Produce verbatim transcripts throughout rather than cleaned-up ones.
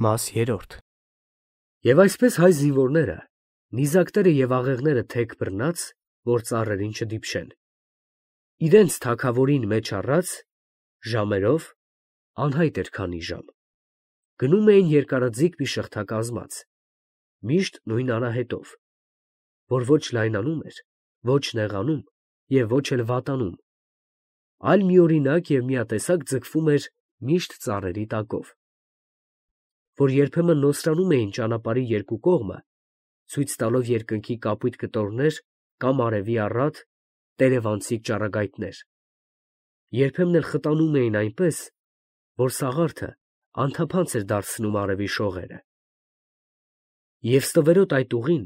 Մաս երրորդ։ Եվ այսպես հայ զինվորները, նիզակները և աղեղները թեք բռնած, որ ծառերին չդիպչեն, իրենց թագավորին մեջ առած, ժամերով, անհայտ էր քանի ժամ, գնում էին երկարաձիգ մի շղթա կազմած, միշտ նույն արահետով, որ ոչ լայնանում էր, ոչ նեղանում և ոչ էլ վատանում, այլ միօրինակ և միատեսակ ձգվում էր միշտ ծառերի տակով, որ երբեմն նոսրանում էին ճանապարհի երկու կողմը, ցույց տալով երկնքի կապույտ կտորներ կամ արևի առատ, տերևանցիկ ճառագայթներ, երբեմն էլ խտանում էին այնպես, որ սաղարթը անթափանց էր դարձնում արևի շողերը, և ստվերոտ այդ ուղին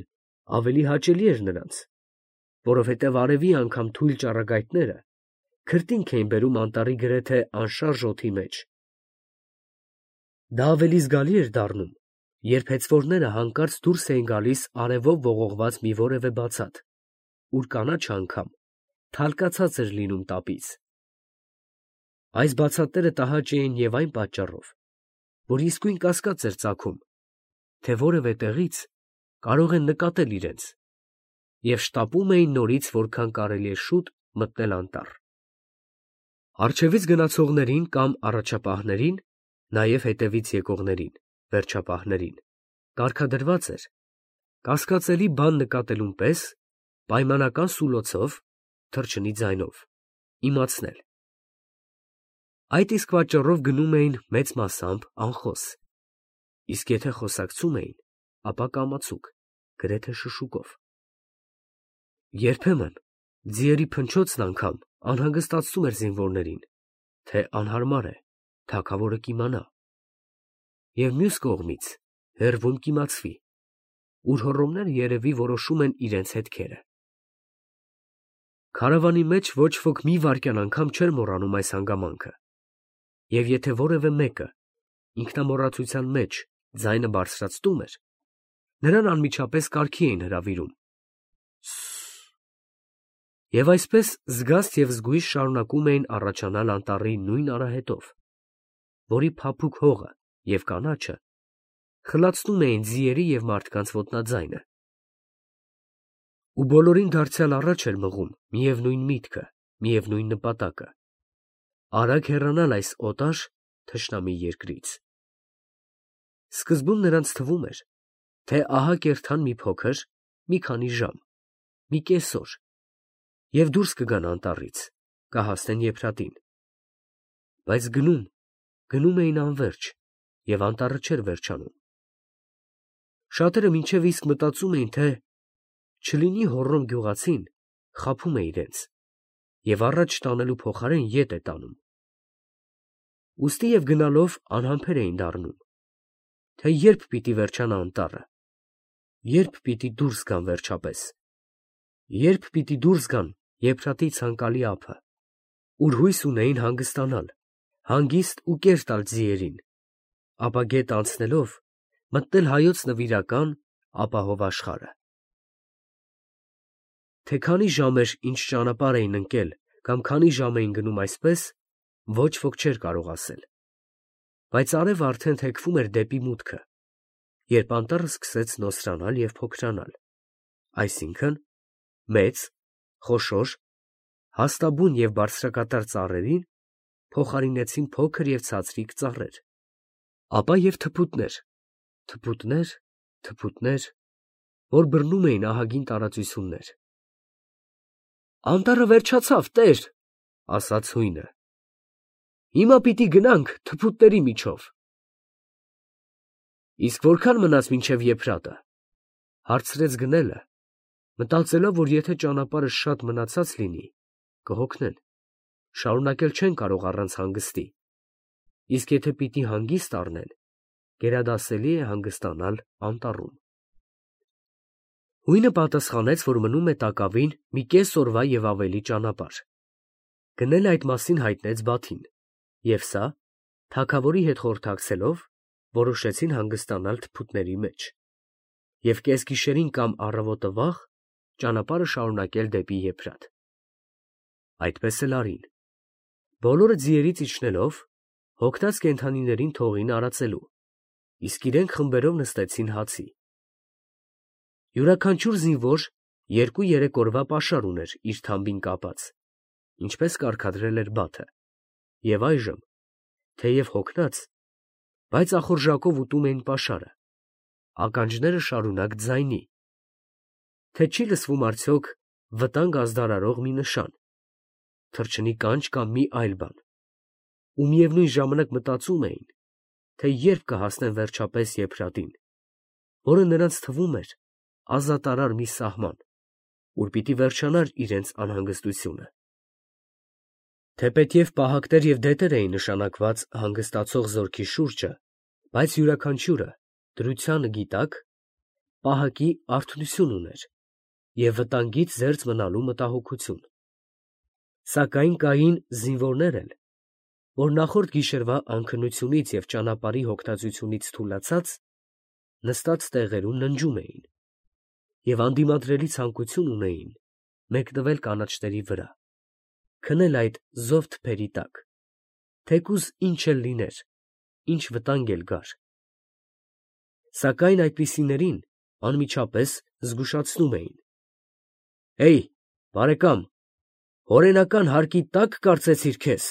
ավելի հաճելի էր նրանց, որովհետև արևի անգամ թույլ ճառագայթները քրտինք էին բերում անտառի գրեթե անշարժ օդի մեջ. դա ավելի զգալի էր դառնում, երբ հեծվորները հանկարծ դուրս էին գալիս արևով ողողված մի որևէ բացատ, ուր կանաչը անգամ թալկացած էր լինում տապից. այս բացատները տհաճ էին և այն պատճառով, որ իսկույն կասկած էր ծագում, թե որևէ տեղից կարող են նկատել իրենց, և շտապում էին նորից որքան կարելի է շուտ մտնել անտառ. առջևից գնացողներին կամ առաջապահներին, նաև հետևից եկողներին, վերջապահներին, կարգադրված էր, կասկածելի բան նկատելուն պես, պայմանական սուլոցով (թռչնի ձայնով) իմացնել. այդ իսկ պատճառով գնում էին մեծ մասամբ անխոս, իսկ եթե խոսակցում էին, ապա կամացուկ, գրեթե շշուկով. երբեմն ձիերի փնչոցն անգամ անհանգստացնում էր զինվորներին, թե անհարմար է, թագավորը կիմանա, և մյուս կողմից հեռվում կիմացվի, ուր հոռոմները երևի որոշում են իրենց հետքերը. քարավանի մեջ ոչ ոք մի վայրկյան անգամ չէր մոռանում այս հանգամանքը, և եթե որևէ մեկը ինքնամոռացության մեջ ձայնը բարձրացնում էր, նրան անմիջապես կարգի էին հրավիրում. «Սը՜ւ»… և այսպես զգաստ և զգույշ շարունակում էին առաջանալ անտառի նույն արահետով, որի փափուկ հողը և կանաչը խլացնում էին ձիերի և մարդկանց ոտնաձայնը, ու բոլորին դարձյալ առաջ էր մղում միևնույն միտքը, միևնույն նպատակը՝ արագ հեռանալ այս օտար, թշնամի երկրից. սկզբում նրանց թվում էր, թե ահա կերթան մի փոքր, մի քանի ժամ, մի կեսօր, և դուրս կգան անտառից, կհասնեն եփրատին, բայց գնում, գնում էին անվերջ, և անտառը չէր վերջանում. շատերը մինչև իսկ մտածում էին, թե չլինի հոռոմ գյուղացին խաբում է իրենց և առաջ տանելու փոխարեն ետ է տանում, ուստի և գնալով անհամբեր էին դառնում, թե ե՞րբ պիտի վերջանա անտառը, ե՞րբ պիտի դուրս գան վերջապես, ե՞րբ պիտի դուրս գան եփրատի ցանկալի ափը, ուր հույս ունեին հանգստանալ, հանգիստ ու կեր տալ ձիերին, ապա գետը անցնելով մտնել հայոց նվիրական ապահով աշխարհը. թե քանի ժամ էր ինչ ճանապարհ էին ընկել կամ քանի ժամ էին գնում այսպես, ոչ ոք չէր կարող ասել, բայց արևը արդեն թեքվում էր դեպի մուտքը, երբ անտառը սկսեց նոսրանալ և փոքրանալ, այսինքն՝ մեծ, խոշոր, հաստաբուն և բարձրակատար ծառերին փոխարինեցին փոքր և ցածրիկ ծառեր, ապա և թփուտներ, թփուտներ, թփուտներ, որ բռնում էին ահագին տարածություններ։ «Անտառը վերջացավ, տեր», ֊ ասաց հույնը, «հիմա պիտի գնանք թփուտների միջով»։ ֊ Իսկ որքա՞ն մնաց մինչև եփրատը, ֊ հարցրեց գնելը, մտածելով, որ եթե ճանապարհը շատ մնացած լինի, կհոգնեն, շարունակել չեն կարող առանց հանգստի, իսկ եթե պիտի հանգիստ առնեն, գերադասելի է հանգստանալ անտառում։ Հույնը պատասխանեց, որ մնում է տակավին մի կես օրվա և ավելի ճանապարհ. գնելը այդ մասին հայտնեց Բաթին, և սա, թագավորի հետ խորհրդակցելով, որոշեցին հանգստանալ թփուտների մեջ և կեսգիշերին կամ առավոտը վաղ ճանապարհը շարունակել դեպի եփրատ. այդպես էլ արին, բոլորը ձիերից իջնելով, հոգնած կենդանիներին թողին արածելու, իսկ իրենք խմբերով նստեցին հացի։ Յուրաքանչյուր զինվոր երկու-երեք օրվա պաշար ուներ իր թամբին կապած, ինչպես կարգադրել էր Բաթը, և այժմ, թեև հոգնած, բայց ախորժակով ուտում էին պաշարը, ականջները շարունակ ձայնի, թե չի լսվում արդյոք վտանգ ազդարարող մի նշան, թռչնի կանչ կամ մի այլ բան, ու միևնույն ժամանակ մտածում էին, թե երբ կհասնեն վերջապես Եփրատին, որը նրանց թվում էր ազատարար մի սահման, ուր պիտի վերջանար իրենց անհանգստությունը։ Թեպետև պահակներ և դետեր էին նշանակված հանգստացող զորքի շուրջը, բայց յուրաքանչյուրը դրությանը գիտակ պահակի արթունություն ուներ և վտանգից զերծ մնալու մտահոգություն։ Սակայն կային զինվորներ էլ, որ նախորդ գիշերվա անքնությունից և ճանապարհի հոգնածությունից թուլացած, նստած տեղերում ննջում էին և անդիմադրելի ցանկություն ունեին մեկնվել կանաչների վրա, քնել այդ զով թփերի տակ, թեկուզ ինչ էլ լիներ, ինչ վտանգ էլ գար։ Սակայն այդպիսիներին անմիջապես զգուշացնում էին. «Հեյ, բարեկամ, հորենական հարկի տա՞կ կարծեցիր քեզ»։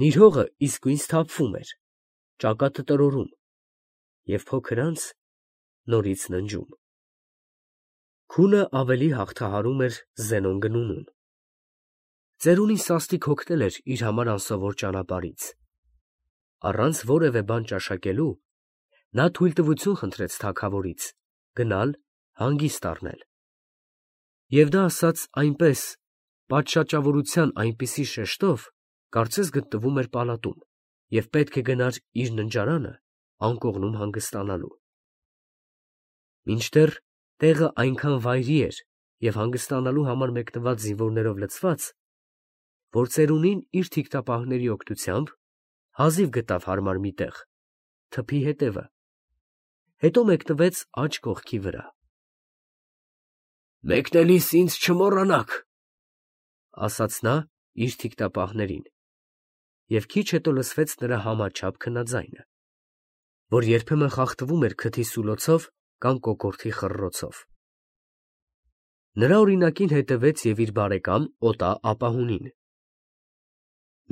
Նիրհողը իսկույն սթափվում էր, ճակատը տրորում և փոքր անց նորից ննջում։ Քունը ավելի հաղթահարում էր Զենոն գնունուն։ Ծերունին սաստիկ հոգնել էր իր համար անսովոր ճանապարհից։ Առանց որևէ բան ճաշակելու, նա թույլտվություն խնդրեց թագավորից գնալ հանգիստ առնել։ Եվ դա ասաց այնպես, պատշաճավորության այնպիսի շեշտով, կարծես գտնվում էր պալատում և պետք է գնար իր ննջարանը անկողնում հանգստանալու։ Մինչդեռ տեղը այնքան վայրի էր և հանգստանալու համար մեկնված զինվորներով լցված, որ ծերունին իր թիկնապահների օգնությամբ հազիվ գտավ հարմար մի տեղ, թփի հետևը, հետո մեկնվեց աջ կողքի վրա։ «Մեկնելիս ինձ չմոռանաք», ֊ ասաց նա իր թիկնապահներին, և քիչ հետո լսվեց նրա համաչափ քնաձայնը, որ երբեմն խախտվում էր քթի սուլոցով կամ կոկորդի խռռոցով։ Նրա օրինակին հետևեց և իր բարեկամ Օտա ապահունին։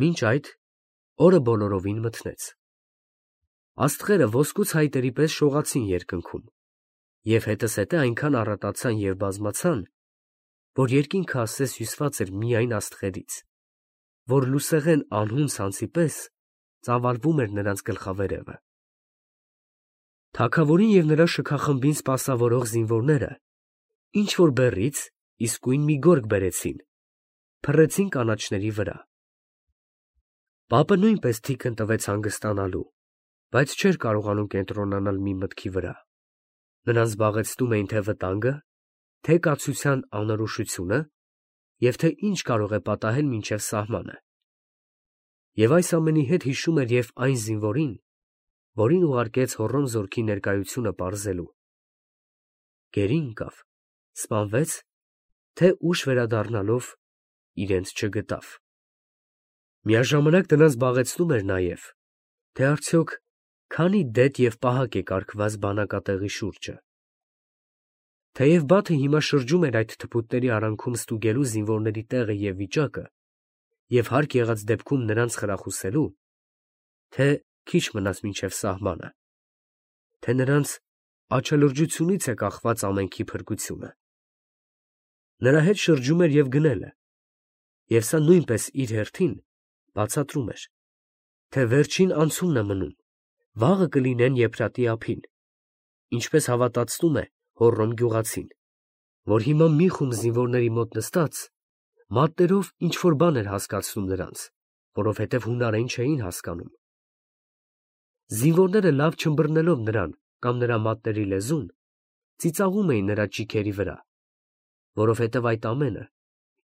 Մինչ այդ օրը բոլորովին մթնեց։ Աստղերը ոսկուց հայտերի պես շողացին երկնքում, և հետզհետե այնքան առատացան և բազմացան, որ երկինքը ասես հյուսված էր միայն աստղերից, որ լուսեղեն անհուն ցանցի պես ծավալվում էր նրանց գլխավերևը։ Թագավորին և նրա շքախմբին սպասավորող զինվորները ինչ֊որ բեռից իսկույն մի գորգ բերեցին, փռեցին կանաչների վրա։ Պապը նույնպես թիկն տվեց հանգստանալու, բայց չէր կարողանում կենտրոնանալ մի մտքի վրա. նրան զբաղեցնում էին թե վտանգը, թե կացության անորոշությունը և թե ինչ կարող է պատահել մինչև սահմանը։ Եվ այս ամենի հետ հիշում էր և այն զինվորին, որին ուղարկեց Հոռոմ զորքի ներկայությունը պարզելու։ Գերի ընկավ, սպանվեց, թե ուշ վերադառնալով իրենց չգտավ։ Միաժամանակ նրան զբաղեցնում էր նաև, թե արդյոք քանի դետ և պահակ է կարգված բանակատեղի շուրջը։ Թեև Բաթը հիմա շրջում էր այդ թփուտների արանքում ստուգելու զինվորների տեղը և վիճակը և հարկ եղած դեպքում նրանց խրախուսելու, թե քիչ մնաց մինչև սահմանը, թե նրանց աչալրջությունից է կախված ամենքի փրկությունը, նրա հետ շրջում էր և գնելը, և սա նույնպես իր հերթին բացատրում էր, թե վերջին անցումն է մնում, վաղը կլինեն Եփրատի ափին, ինչպես հավատացնում է Հոռոմ գյուղացին, որ հիմա մի խումբ զինվորների մոտ նստած, մատներով ինչ֊որ բան էր հասկացնում նրանց, որովհետև հունարեն չէին հասկանում։ Զինվորները լավ չըմբռնելով նրան կամ նրա մատների լեզուն, ծիծաղում էին նրա ճիգերի վրա, որովհետև այդ ամենը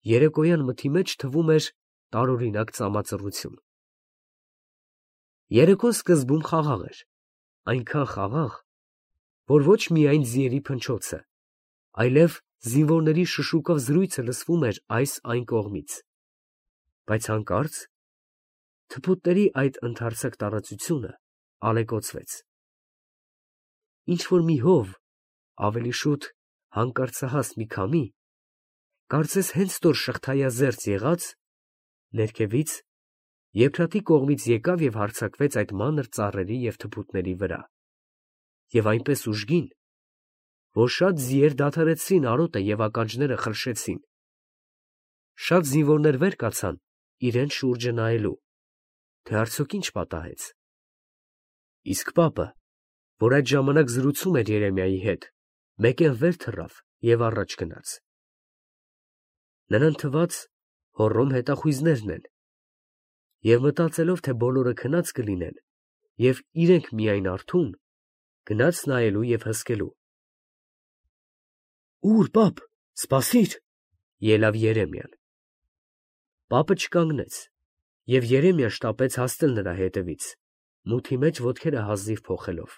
երեկոյան մթի մեջ թվում էր տարօրինակ ծամածռություն։ Երեկոն սկզբում խաղաղ էր, այնքան խաղաղ, որ ոչ միայն ձիերի փնչոցը, այլև զինվորների շշուկով զրույցը լսվում էր այս֊այն կողմից, բայց հանկարծ թփուտների այդ ընդարձակ տարածությունը ալեկոծվեց։ Ինչ-որ մի հով, ավելի շուտ հանկարծահաս մի քամի, կարծես հենց տոր շղթայազերծ եղած, ներքևից, Եփրատի կողմից եկավ և հարձակվեց այդ մանր ծառերի և թփուտների վրա, և այնպես ուժգին, որ շատ ձիեր դադարեցրին արոտը և ականջները խրշեցին. շատ զինվորներ վեր կացան իրենց շուրջը նայելու, թե արդյոք ինչ պատահեց։ Իսկ պապը, որ այդ ժամանակ զրուցում էր Երեմիայի հետ, մեկեն վեր թռավ և առաջ գնաց. նրան թվաց հոռոմ հետախույզներն են, և մտածելով, թե բոլորը քնած կլինեն, և իրենք միայն արթուն, գնաց նայելու և հսկելու։ Ո՞ւր, պապ, սպասիր, ելավ Երեմիան։ Պապը չկանգնեց, և Երեմիան շտապեց հասնել նրա հետևից, մութի մեջ ոտքերը հազիվ փոխելով։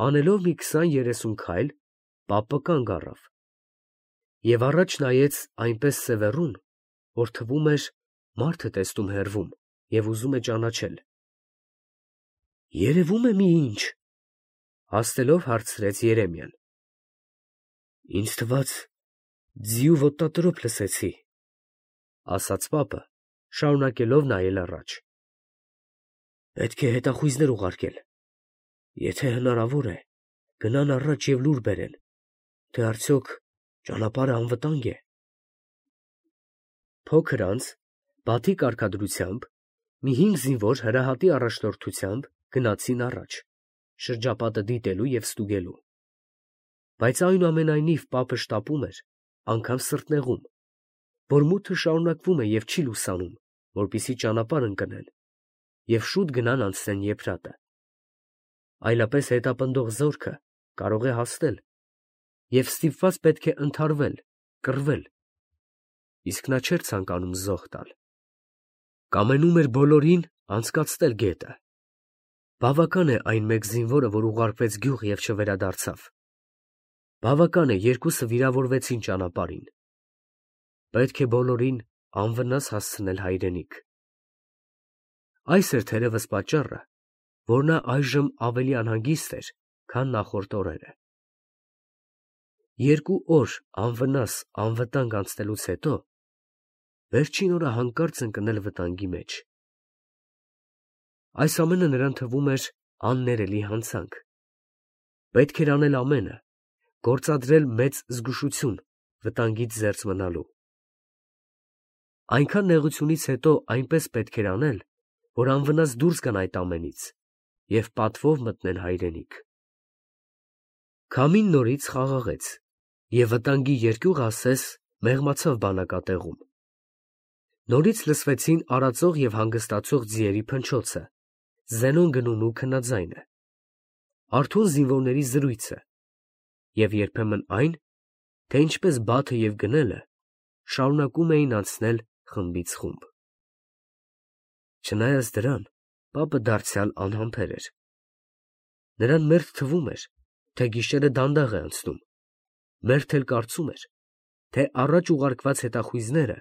Անելով մի քսան֊երեսուն քայլ, պապը կանգ առավ և առաջ նայեց այնպես սևեռուն, որ թվում էր մարդ է տեսնում հեռվում և ուզում է ճանաչել։ Երևում է մի ինչ, հաստելով հարցրեց Երեմիան։ Ինձ թվաց, ձիու ոտնատրոփ լսեցի, ասաց պապը, շարունակելով նայել առաջ։ Պետք է հետախույզներ ուղարկել, եթե հնարավոր է, գնան առաջ և լուր բերեն, թե արդյոք ճանապարհը անվտանգ է։ Փոքր անց, բաթի կարգադրությամբ, մի հինգ զինվոր հրահատի առաջնորդությամբ գնացին առաջ, շրջապատը դիտելու և ստուգելու։ Բայց այնուամենայնիվ պապը շտապում էր, անգամ սրտնեղում, որ մութը շարունակվում է և չի լուսանում, որպեսզի ճանապարհ ընկնեն և շուտ գնան անցնեն Եփրատը։ Այլապես հետապնդող զորքը կարող է հասնել, և ստիպված պետք է ընդհարվել, կռվել, իսկ նա չէր ցանկանում զոհ տալ։ Կամենում էր բոլորին անցկացնել գետը։ Բավական է այն մեկ զինվորը, որ ուղարկվեց գյուղ և չվերադարձավ։ Բավական է երկուսը վիրավորվեցին ճանապարհին։ Պետք է բոլորին անվնաս հասցնել հայրենիք։ Այս էր թերևս պատճառը, որ նա այժմ ավելի անհանգիստ էր, քան նախորդ օրերը։ Երկու օր անվնաս, անվտանգ անցնելուց հետո, վերջին օրը հանկարծ ընկնել վտանգի մեջ։ Այս ամենը նրան թվում էր աններելի հանցանք։ Պետք էր անել ամենը, գործադրել մեծ զգուշություն վտանգից զերծ մնալու։ Այնքան նեղությունից հետո այնպես պետք էր անել, որ անվնաս դուրս գան այդ ամենից և պատվով մտնեն հայրենիք։ Քամին նորից խաղաղեց, և վտանգի երկյուղը ասես մեղմացավ բանակատեղում։ Նորից լսվեցին արածող և հանգստացող ձիերի փնչոցը, զենոն գնունու քնաձայնը, արթուն զինվորների զրույցը և երբեմն այն, թե ինչպես բաթը և գնելը շարունակում էին անցնել խմբից խումբ։ Չնայած դրան, պապը դարձյալ անհամբեր էր։ Նրան մերթ թվում էր, թե գիշերը դանդաղ է անցնում, մերթ էլ կարծում էր, թե առաջ ուղարկված հետախույզները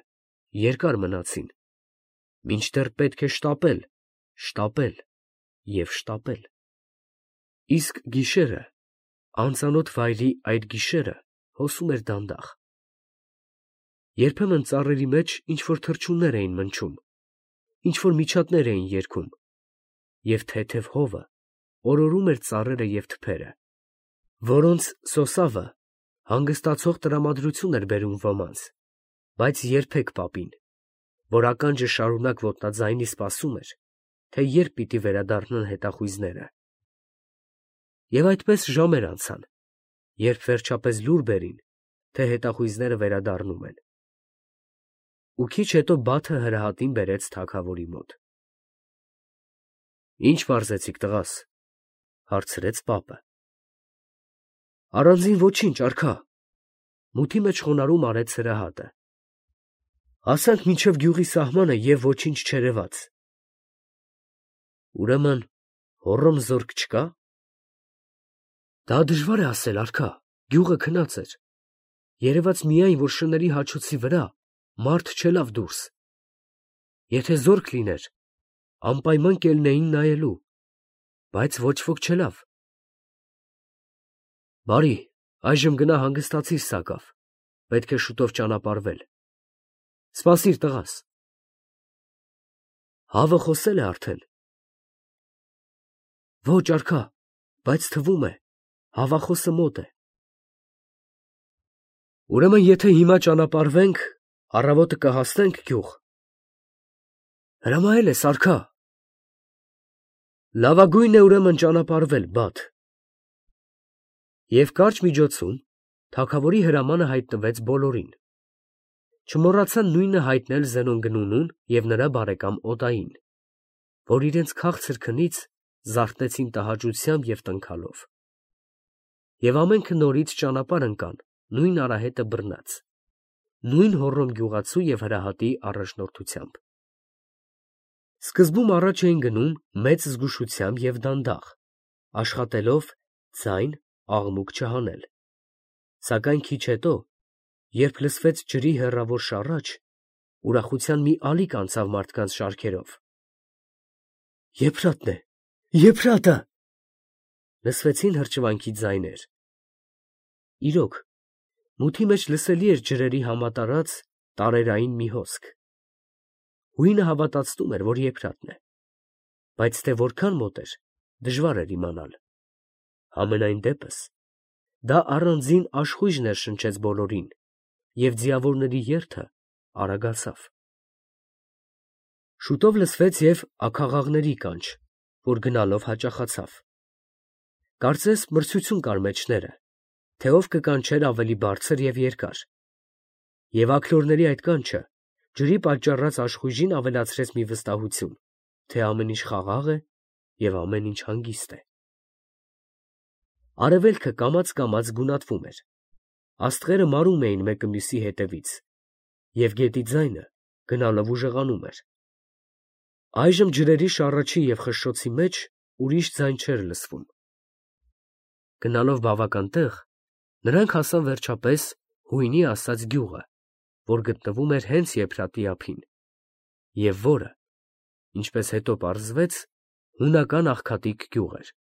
երկար մնացին, մինչդեռ պետք է շտապել, շտապել և շտապել։ Իսկ գիշերը, անծանոթ վայրի այդ գիշերը հոսում էր դանդաղ։ Երբեմն ծառերի մեջ ինչ֊որ թռչուններ էին մնչում, ինչ֊որ միջատներ էին երգում, և թեթև հովը օրորում էր ծառերը և թփերը, որոնց սոսավը հանգստացող տրամադրություն էր բերում ոմանց, բայց երբեք պապին, որ ականջը շարունակ ոտնաձայնի սպասում էր, թե երբ պիտի վերադառնան հետախույզները։ Եվ այդպես ժամեր անցան, երբ վերջապես լուր բերին, թե հետախույզները վերադառնում են։ Ու քիչ հետո բաթը հրահատին բերեց թագավորի մոտ։ Ի՞նչ պարզեցիք, տղաս, հարցրեց պապը։ Առանձին ոչինչ, արքա, մութի մեջ խոնարհում արեց հրահատը։ Հասանք մինչև գյուղի սահմանը և ոչինչ չերևաց։ Ուրեմն հոռոմ զորք չկա։ Դա դժվար է ասել, արքա, գյուղը քնած էր, երևաց միայն, որ շների հաչոցի վրա մարդ չելավ դուրս։ Եթե զորք լիներ, անպայման կելնեին նայելու, բայց ոչ ոք չելավ։ Բարի, այժմ գնա հանգստացիր սակավ, պետք է շուտով ճանապարհվել։ Սպասիր տղաս։ Հավը խոսել է արդեն։ Ոչ արքա, բայց թվում է, հավախոսը մոտ է։ Ուրեմն եթե հիմա ճանապարհվենք, առավոտը կհասնենք գյուղ։ Հրամայել ես արքա։ Լավագույնն է ուրեմն ճանապարհվել, բադ։ Եվ կարճ միջոցում թագավորի հրամանը հայտնվեց բոլորին։ Չմոռացան նույնը հայտնել Զենոն Գնունուն և նրա բարեկամ Օդային, որ իրենց քաղցր քնից զարթնեցին տհաճությամբ և տնքալով։ Եվ ամենքը նորից ճանապարհ ընկան նույն արահետը բռնած, նույն հոռոմ գյուղացու և հրահատի առաջնորդությամբ։ Սկզբում առաջ էին գնում մեծ զգուշությամբ և դանդաղ, աշխատելով ձայն, աղմուկ չհանել, սակայն քիչ հետո, երբ լսվեց ջրի հեռավոր շառաչ, ուրախության մի ալիք անցավ մարդկանց շարքերով։ Եփրատն է, Եփրատը… Լսվեցին հրճվանքի ձայներ։ Իրոք, մութի մեջ լսելի էր ջրերի համատարած տարերային մի հոսք։ Հույնը հավատացնում էր, որ Եփրատն է, բայց թե որքան մոտ էր, դժվար էր իմանալ։ Համենայն դեպս, դա առանձին աշխույժ ներշնչեց բոլորին, և ձիավորների երթը արագացավ։ Շուտով լսվեց և աքաղաղների կանչ, որ գնալով հաճախացավ։ Կարծես մրցություն կար մեջները, թե ով կկանչեր ավելի բարձր և երկար, և աքլորների այդ կանչը ջրի պատճառած աշխույժին ավելացրեց մի վստահություն, թե ամեն ինչ խաղաղ է և ամեն ինչ հանգիստ է։ Արևելքը կամաց֊կամաց գունատվում էր, աստղերը մարում էին մեկը մյուսի հետևից, և գետի ձայնը գնալով ուժեղանում էր։ Այժմ ջրերի շառաչի և խշշոցի մեջ ուրիշ ձայն չէր լսվում։ Գնալով բավական տեղ, նրանք հասան վերջապես հույնի ասած գյուղը, որ գտնվում էր հենց Եփրատի ափին, և որը, ինչպես հետո պարզվեց, հունական աղքատիկ գյուղ էր։